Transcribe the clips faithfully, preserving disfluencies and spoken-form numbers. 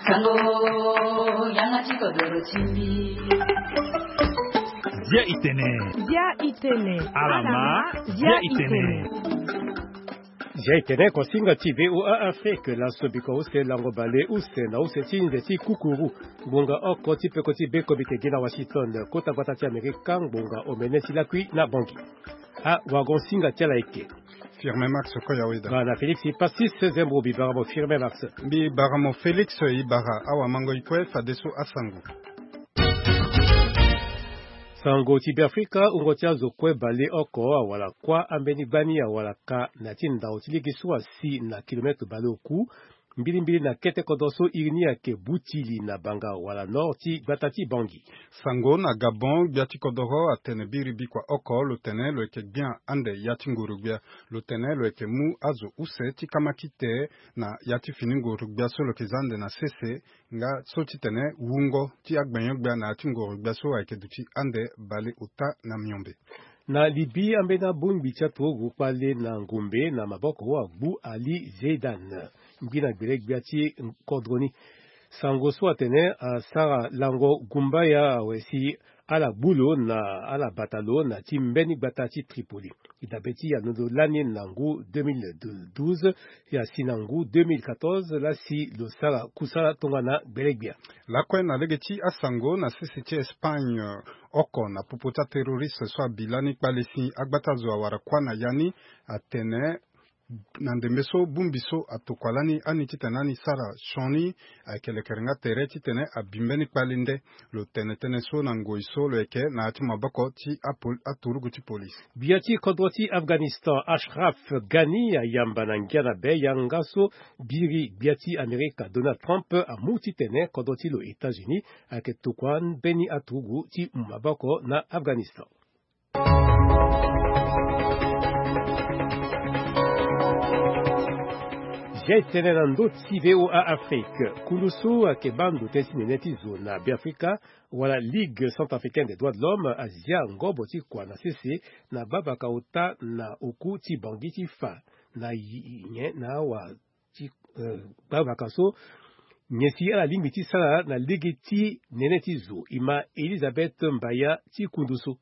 Sango, yanga ti kodoro ti mbi. Zia itene. Zia itene. Alama. Zia itene. Zia itene, kosinga ti V O A Afrique, laso biko use lango bale use na use ti nze ti kukuru. Ngonga oko ti peko ti be komite gi na Washington, kota gbata ti Amerika, ngonga omene ti lakui na Bangui. Ah, wagon singa ti ala eke. Firme Max Koyaweda. Bana Félix Pastis Zembro, bibaramo Firme Max. Bibaramo Félix, ibara awa mango ikue fadeso asango. Sango ti Beafrika, wungo ti azo kue bale oko awala kuâ ambeni gbani awala ka na ti ndao ti lege so asi na kilometre bale oku, mbilimbili na kete kodro so iri ni ayeke Butili na banga wala nord ti gbata ti Bangui. Sango na Gabon, gbia ti kodoro atene biri bikua oko lo tene lo yeke gbia ande ya ti nguru gbia. Lo tene lo yeke mu azo use ti kama kite na ya ti fini nguru gbia so lo yeke za ande na sese, nga so ti tene wungo ti agbenyo-gbia na ya ti nguru gbia so ayeke duti ande bale ota na miombe. Na Libye, ambeni abongbi ti aturugu kpale na ngombe na maboko wa agbu Ali Zeidan, ngbi na gbele-gbia ti kodro ni. Sango so atene asara lango gumbaya awe si ala gbu lo na ala bata lo na ti mbeni gbata ti Tripoli. E dabe ti alondo lani na ngu deux mille douze, e asi na ngu deux mille quatorze laa si lo sara kusala tongana gbele-gbia. Lakue na lege ti asango, na sese ti Espagne, oko na popo ti aterroriste so abi lani kpale si agbata zo awara kuâ na ya ni, atene na ndembe so bongbi so atokua lani ani titene ani sara sioni, ayeke lekere nga tere titene abi mbeni kpale nde. Lo tene tënë so na ngoi so lo yeke na ya ti maboko ti apol-, aturugu ti polise. Gbia ti kodro ti Afghanistan, Ashraf Ghani, ayamba na ngia na be yanga so biri gbia ti Amerika Donald Trump amu titene kodro ti lo États-Unis ayeke tokua mbeni aturugu ti mu maboko na Afghanistan. Zia e tene na ndö ti V O A Afrique. Kundu so ayeke baa ndo tënë ti nene ti zo na Beafrika, wala Ligue Centrafricaine des Droits de l'Homme, azia ngobo ti kua na sese na gbavaka ota na oku ti Bangui ti fa na yi-, nyen na awa ti, eh, gbavaka so, nyen si ala lingbi ti sara na lege ti nene ti zo. E ma Elisabeth Mbaya ti kundu so.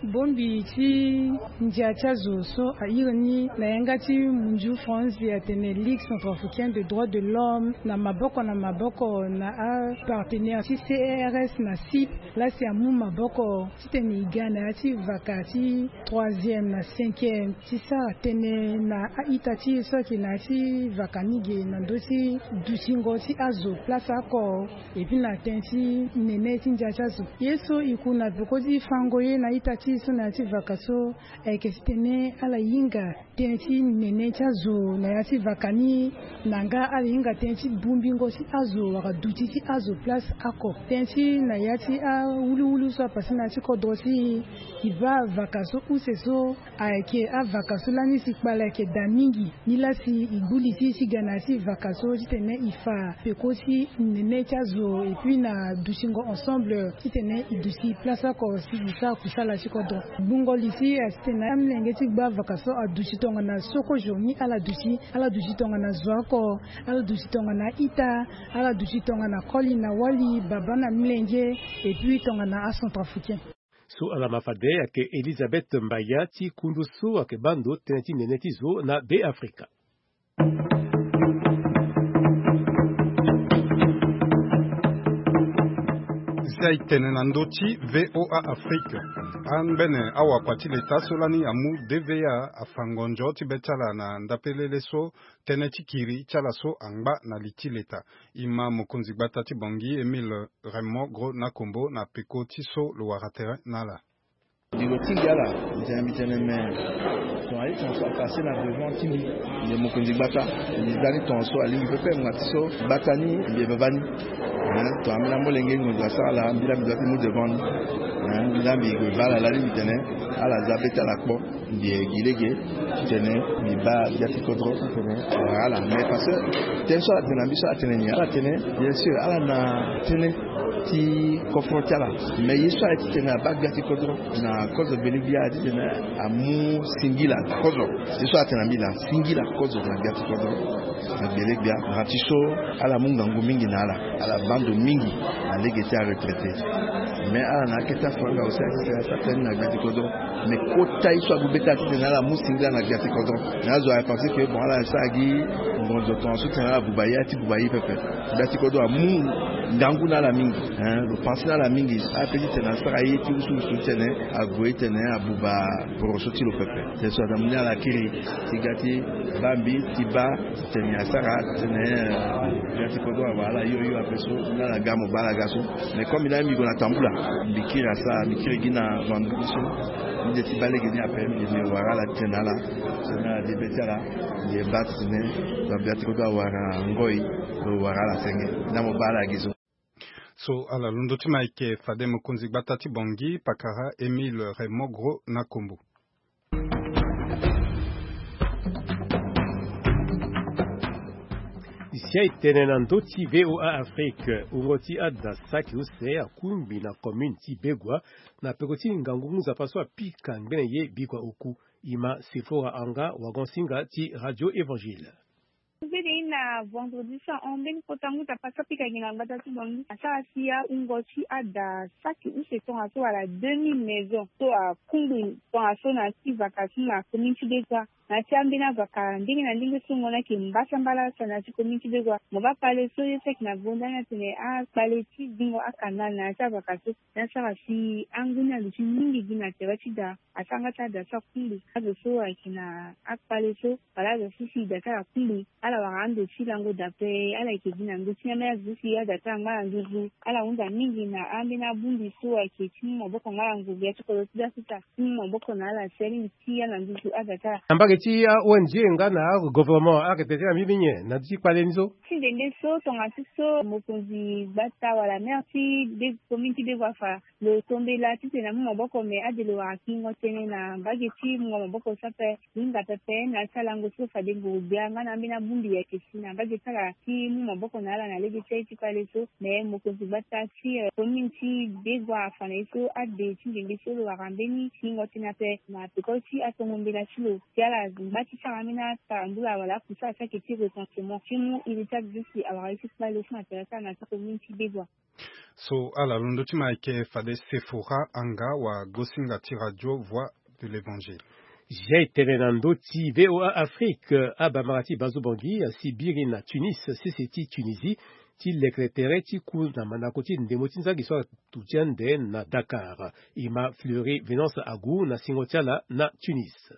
Bongbi ti ndia ti azo so airi ni na yanga ti munzu France atene Ligue Centrafricaine des Droits de l'Homme, na maboko na maboko na apartenaire ti C R S na CIP, laa si amu maboko titene e ga na ya ti vaka ti troisième na cinquième ti sara tënë na a-ita ti e so ayeke na ya ti vaka ni ge na ndö ti dutingo ti azo place oko. Et puis na tënë ti nene ti ndia ti azo. Ye so e ku na peko ti fango ye na ita ti e so na ya ti vaka so, ayeke titene ala hinga tënë ti nene ti azo na ya ti vaka ni, na nga ala hinga tënë ti bongbingo ti azo wala duti ti azo place oko. Tënë ti na ya ti awuluwulu so apase na ya ti kodro ti e, e baa vaka so use so, ayeke avaka so lani si kpale ayeke daa mingi. Ni laa si e gbu li ti e ti ga na ya ti vaka so titene e fa peko ti nene ti azo, et puis na dutingo ensemble titene e duti place oko si e sara kusala ti kodro. Gbungo li ti e asi titene amolenge ti gba vaka so aduti tongana so kozo ni ala duti, ala duti tongana zo oko, ala duti tongana ita, ala duti tongana koli na wali, babâ na molenge, et puis tongana acentrafricain. So ala ma fade ayeke Elisabeth Mbaya ti kundu so ayeke baa ndo tënë ti nene ti zo na Beafrika. Zia e tene na ndö ti V O A Afrique. Angbene awakua ti leta so lani amu D V A afa ngonzo ti be ti ala na ndapelele so tënë ti kiri ti ala so angba na li ti leta. E ma mokonzi gbata ti Bangui Émile Raymond Gros Nakombo na peko ti so lo wara tere na ala. Mbi lo tingbi ala, mbi tene, mbi tene, mais tongana ye tongaso apase na devant ti mbi, mbi mokonzi gbata, mbi za ni tongaso alingbi pepe ngbanga ti so gbata ni mbi ye vava ni. Hein, tongana mbi na molenge ngonzo asara ala, mbi laa mbi doit ti mu devant ni. Hein, mbi laa mbi gue va ala lani mbi tene ala za be ti ala kpo. Mbi ye gi lege titene mbi baa gbia ti kodro titene awara ala. Mais parce que tënë so ala tene na mbi so ala tene ni, ala tene, bien sûr, ala na tënë. Ti kofro ti ala. Mais ye so aye titene abaa gbia ti kodro na kozo gbele gbia aye titene amu singila kozo. Ye so atene na mbi na singila kozo na gbia ti kodro na gbele gbia na ti so ala mu ngangu mingi na ala. Ala baa ndo mingi na lege ti aretraité. Mais ala na akete afanga aussi aye titene asa tënë na gbia ti kodro. Mais kota ye so ague be ti ala titene ala mu singila na gbia ti kodro. Mais azo aye pensé que bon ala sara gi ngonzo tongaso titene ala buba ye, ala ti buba ye pepe. Gbia ti kodro amu ngangu na ala mingi. Hein, lo pensé na ala mingi. Ape titene asara ye ti wusuwusu titene ague titene abuba poroso ti lo pepe. C'est ça, na mu ni ala kiri ti ga ti baa mbi ti baa titene asara titene, euh, gbia ti kodro awara ala yo yo ape so na ala ga mo baa ala ga so. Mais comme mbi na mbi gue na tambula, mbi kiri asara, mbi kiri gi na vendredi so. Mbi de ti baa lege ni ape, mbi wara ala titene ala so na ala de be ti ala. Mbi baa titene gbia ti kodro awara ngoi. Lo wara ala senge na mo baa ala gi so. So ala londo ti ma eke fade mokonzi gbata ti Bangui, pakara Émile Raymond Gros na kombo. Zia e tene na ndö ti V O A Afrique, wungo ti ada saki use akungbi na commune ti Begua na peko ti ngangu ngu nzapa so apika ngbene ye bigua oku. E ma Sefora Anga, wagon-singa ti Radio Évangile. Mbeni na vendredi so ahon mbeni kota ngu nzapa so apika gi na gbata ti Bangui asara si awungo ti ada saki use tongaso wala deux mille maison so akungbi tongaso na ya ti vaka so na commune ti Begua. Na ya ti ambeni avaka ndenge na ndenge so ngon ayeke mbasambala so na ya ti commune ti Begua. Mo baa kpale so ye so ayeke na gonda ni atene akpale ti zingo akanal na ya ti avaka so. Ni asara si angu ni aluti mingi gi na tere ti da. Asara nga ti ada so akungbi azo so ayeke na akpale so wala azo so si da ti ala akungbi. Ala wara ando ti lango da ape. Ala yeke gi na ndö ti ni ambeni azo so si ada ti ala angba na nduzu. Ala hunda mingi na ambeni abongbi so ayeke ti mu maboko nga na ngu gbia ti kodro ti da so ti ala ti mu maboko na ala si alingbi ti ya na nduzu ada ti ala. Na mbage ti a-O N G nga na agouvernement ala yeke tene ti ala mingi nyen na ndö ti kpale ni so? Ti ndembe so tongaso so mokonzi gbata wala maire ti be commune ti Begua afa lo tombela titene amu maboko me ade lo wara kingo tënë na mbage ti mungo maboko so ape. Lo hinga pepe na ya ti alango so fade nguru gbia nga na ambeni abongbi ayeke si na mbage ti ala ti mu maboko na ala na lege ti aye ti kpale so. Me mokonzi gbata ti, eh, commune ti Begua afa na ye so ade ti ndembe so lo wara mbeni kingo tënë ape na peko ti atongo mbela ti lo si ala ngba ti sara ambeni atarambula wala akusala so ayeke ti recensement ti mu iri ti azo so si awara ye ti kpale so na tere ti ala na ya ti commune ti Begua. So ala londo ti ma ayeke fade Sefora Anga, wagosinga ti Radio Voix de l'Évangile. Zia e tene na ndö ti V O A Afrique, abamara ti Bazo Bangui asi biri na Tunis, sese ti Tunisie, ti lekere tere ti ku na mandako ti ndembo ti nzangi so atu ti ande na Dakar. E ma Fleury Venance Agou na singo ti ala na Tunis.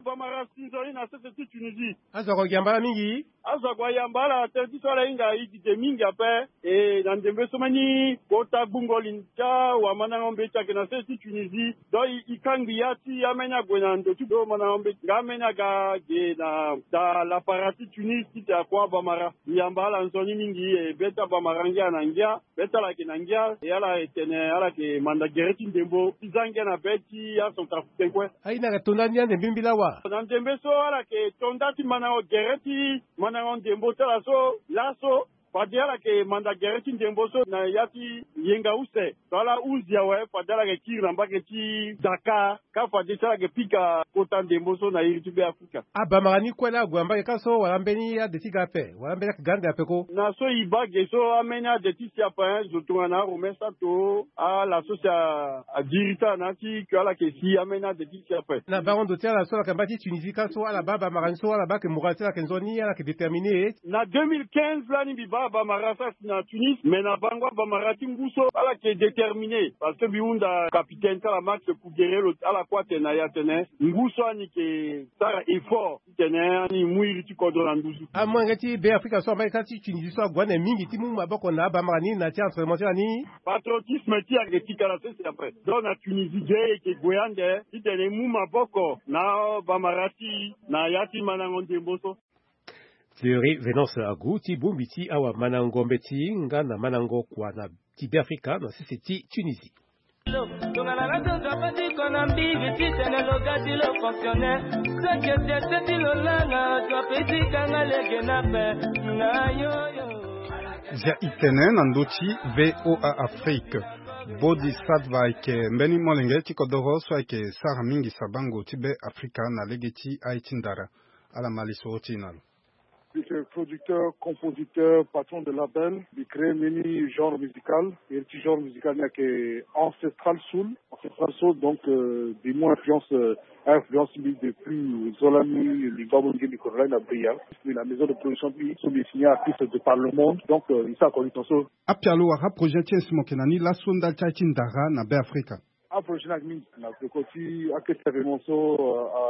Bamara si nzoni na sese ti Tunisie. Azo ako gi ambala mingi. Azo ako ayamba ala tere ti so ala hinga e dide mingi ape. E na ndembe so mbeni kota gbungo li ti awamandango mbeti ayeke na sese ti Tunisie. Donc e, e kangbi ya ti ambeni ague na ndo ti do mandango mbeti nga ambeni aga ge na da lapara ti Tunis titene akua Bamara. E yamba ala nzoni mingi, e be ti Abamara ngia na ngia. Be ti ala ayeke na ngia, e ala e tene ala yeke manda gere ti ndembo ti za ngia na be ti acentrafricain kue. Aye ni ayeke to nda ni ande mbimbila wa? Na ndembe so ala yeke to nda ti mandango gere ti mandango ndembo ti ala so laso fade ala yeke manda gere ti ndembo so na ya ti yenga use. So ala hunzi awe fade ala yeke kiri na mbage ti Dakar. Ka fade ti ala yeke pika kota ndembo so na iri ti Be Afrika. Abamara ni kue laa ague na mbage ka so wala ambeni ade ti ga ape wala ambeni ayeke ga ande ape ko? Na so e baa ge so ambeni ade ti si ape, eh, zo tongana aRomain Sato, ala so si a, adiri ti ala na ya ti ke ala yeke si ambeni ade ti si ape. Na bango ndo ti ala so ala yeke na mbage ti Tunisie ka so ala baa Bamara ni so ala baa ayeke moral ti ala ayeke nzoni, ala yeke déterminé. Na deux mille quinze lani mbi baa Bamara so asi na Tunis, mais na bango Bamara ti ngu so ala yeke déterminé parce que mbi hunda capitaine ti ala Max Kouguéré lo ala kue atene na e atene ngu so ani yeke sara effort titene ani mu iri ti kodro na nduzu. Amolenge ti Be Afrika so ambeni ka ti Tunisie so ague ande mingi ti mu maboko na Bamara ni na ya ti entraînement ti ala ni. Patriotisme ti e ayeke ti kala sese ape. Donc na Tunisie ge e yeke gue ande titene e mu maboko na Bamara ti e na ya ti mandango ndembo so. Fleury Venance Agou ti bongbi ti awamandango mbeti nga na mandango kua na ti Be Afrika na sese ti Tunisie. Tongana la tonza patiko na mbizi titene lo ga ti lo fonctionnaire. Seke sese ti lo langa zo ape ti kanga lege na pe na yo yo. Zia itene na ndö ti VOA Afrique. Bodi Sadva ayeke mbeni molenge ti kodoro so ayeke sara mingi sabango ti Be Afrika na lege ti aye ti ndara. Ala ma lisoro ti e na lo. Mbi yeke producteur, compositeur, patron de label. Mbi crée mbeni genre musical. Iri ti genre musical ni ayeke ancestral soul. Ancestral soul, donc, euh, mbi mu influence, euh, influence mbi depuis zo lani, mbi baa mo lege mbi kodro lani na Bria. Mbi na maison de production mbi so mbi signé artiste de par le monde. Donc, euh, mbi sara connexion so. Apialo wala aprojet ti e si mo yeke na ni laso ndali ti aye ti ndara na Be Afrika? Aprojet ni ayeke mingi na peko ti akete événement so, euh, a,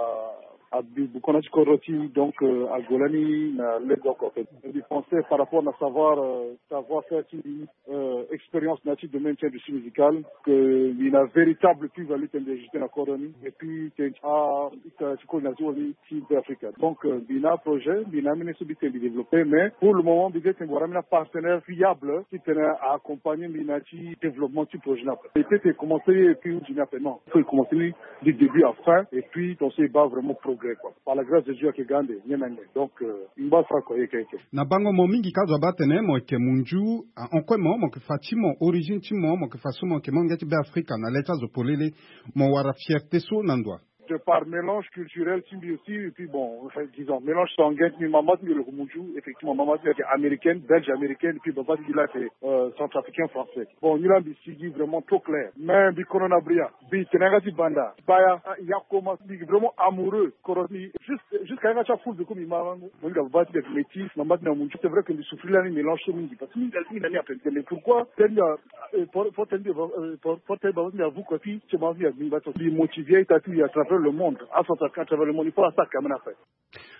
a, abikua na ti kodro ti e, donc, euh, ague lani na lege oko. Mbi pensé par rapport na savoir, euh, savoir faire ti mbi, euh, expérience na ya ti domaine ti industrie musicale, que mbi na véritable plus-value tene mbi ajouté na kodro ni, et puis tene ti a, ti koli na ti wali ti Be Afrika. Donc, euh, mbi na projet, mbi na ambeni so mbi tene mbi développé, mais pour le moment mbi tene mbi wara ambeni apartenaire fiable ti tene a accompagner mbi na ya ti développement ti projet ni après. E peut ti commencé ye et puis e hundi ni après, non. Il faut e commencé ni du début à fin, et puis tongaso e baa vraiment progrès, quoi. Par la grâce de Dieu ayeke ga ande nyen na nyen. Donc, euh, mbi baa sara kua ye keke. Na bango mo mingi ka zo abaa atene mo yeke munzu, ahon kue mo, mo yeke fa ti mo, origine ti mo, mo yeke fa so mo yeke molenge ti Be Afrika na le ti azo polele, mo wara fierté so na ndo wa? De par mélange culturel ti mbi aussi, et puis bon, enfin, disons, mélange sanguin ti mbi, mama ti mbi lo yeke munzu, effectivement, mama ti mbi ayeke américaine, belge américaine, et puis baba ti mbi la ayeke, euh, centrafricain français. Bon, ni la mbi sigi vraiment trop clair. Mais mbi kono na Bria, mbi tene yanga ti banda, baya, ah, ya koma, mbi vraiment amoureux. Kodro ti mbi, juste, jusqu'à yanga ti afoul mbi ku mbi ma, mo hinga baba ti mbi ayeke métis, mama ti mbi amunzu. C'est vrai que mbi souffrir lani mélange so mingi, parce que mingi, mingi na ni ape. Mais pourquoi? Tene mbi a, euh, pour, pour tene mbi, euh, pour, pour tene baba ti mbi avu kua ti, ti mama ti mbi avu, mbi motivé ita ti mbi à travers le monde, acentrafricain à travers le monde, il faut asara quand même après.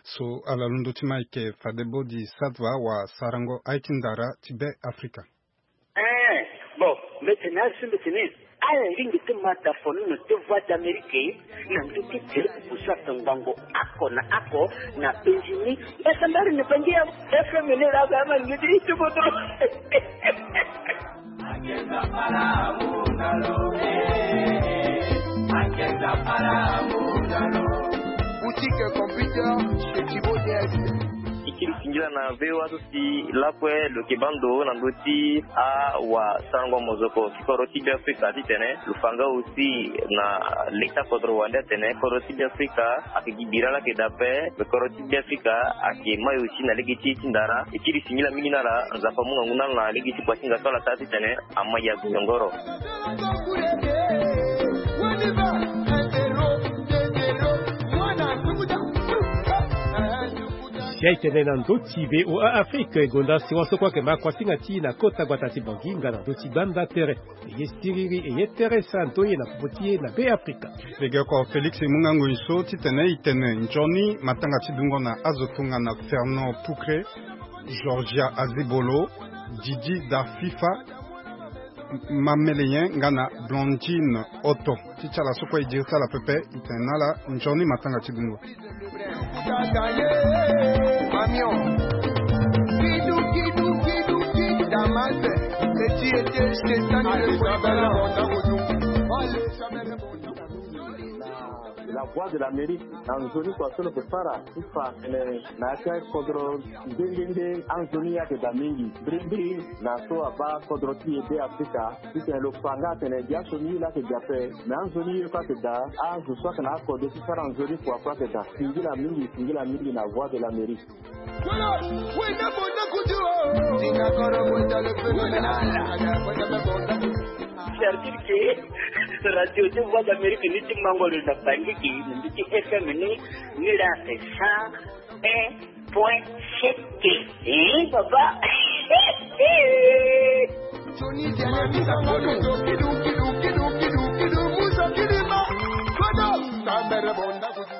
So ala londo ti ma ayeke fade Bodi Sadva wa sarango aye ti ndara ti Be Afrika. Eh, bon, mbi tene azo mbi tene ala lingbi ti ma da fonono ti Voix d'Amérique na ndö ti direct, kusasa ngbongo oko na oko na penzi ni. Esambari ni bangi ya F M ni la ga ma ngi ti ti bodo. Boutique computer chez Thibaut D S. E kiri singila na V O A so si lakue lo yeke baa ndo na ndö ti awasarango mozoko ti kodro ti Be Afrika titene lo fa nga aussi na le ti akodro wande atene kodro ti Be Afrika ayeke gi bira laa ayeke daa ape. Me kodro ti Be Afrika ayeke mai aussi na lege ti ye ti ndara. E kiri singila mingi na ala, Nzapa amu ngangu na ala na lege ti kua ti hinga so ala sara titene ama ya gonyongoro. Si aye tene na ndö ti V O A Afrique, e gonda si wa so kue ayeke ma kuasinga ti e na kota gbata ti Bangui nga na ndö ti gbanda tere. E ye siriri, e ye tere santo ye na popo ti e na Be Afrika. Legeoko Félix e mu nga ngoi so titene e tene nzoni matanga ti dungo na azo tongana Fernand Poucré, Georgia Azebolo, Didi Darfifa, Mameleyen nga na Blondine Otto. Ti ti ala so kue e diri ti ala pepe, e tene na ala nzoni matanga ti dungo. La Voix de l'Amérique, na nzoni kua so lo yeke sara ti fa atene na ya ti akodro nde nde nde anzoni ye ayeke daa mingi. Mbirimbiri na so abaa kodro ti e Be Afrika, titene lo fa nga atene gi asioni ye laa ayeke gi ape. Me anzoni ye kue ayeke daa, azo so ayeke na akode ti sara nzoni kua kue ayeke daa. Singila mingi, singila mingi na Voix de l'Amérique. C'est-à-dire que radio ti Voix d'Amérique ni ti mango lo na Bangui, na ndö ti F M ni, ni laa ayeke cent un point sept. Eh, papa.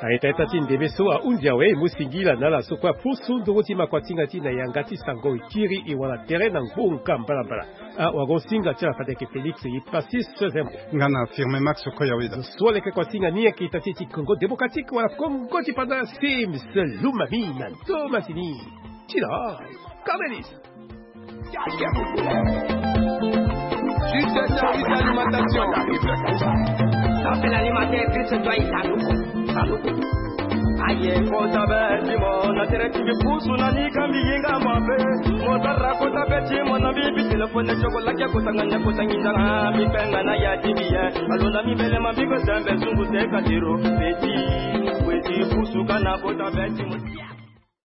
Na ita ita ti ndembe so ahundi awe, e mu singila na ala so kue apusu nduru ti makuatinga ti e na yanga ti sango e kiri e wala tere na ngbonga mbalambala. Ah, wago singa ti ala fade ayeke Félix ye Passis Zembo. Nga na Firmin Max Koyaweda. Zo so leke kuasinga ni ayeke ita ti e ti Congo Démocratique wala Congo ti Panda, Sims Lumami na ndo masini. Ti la Camélis. Juste un service d'alimentation. Ça, c'est l'alimentaire, Christ doit y aller. Aye kota be ti mo na tere ti mbi pusu na ni ka mbi yenga mabe. Mo sara kota be ti mo na mbi bi telefone tio ko lake kota nga nya kota nginza nga mbi kpenga na ya ti mbi ye. Alonda mbi mbele ma mbi ko sembe sungu se ka tiro. Peti weti pusu ka na kota be ti mo.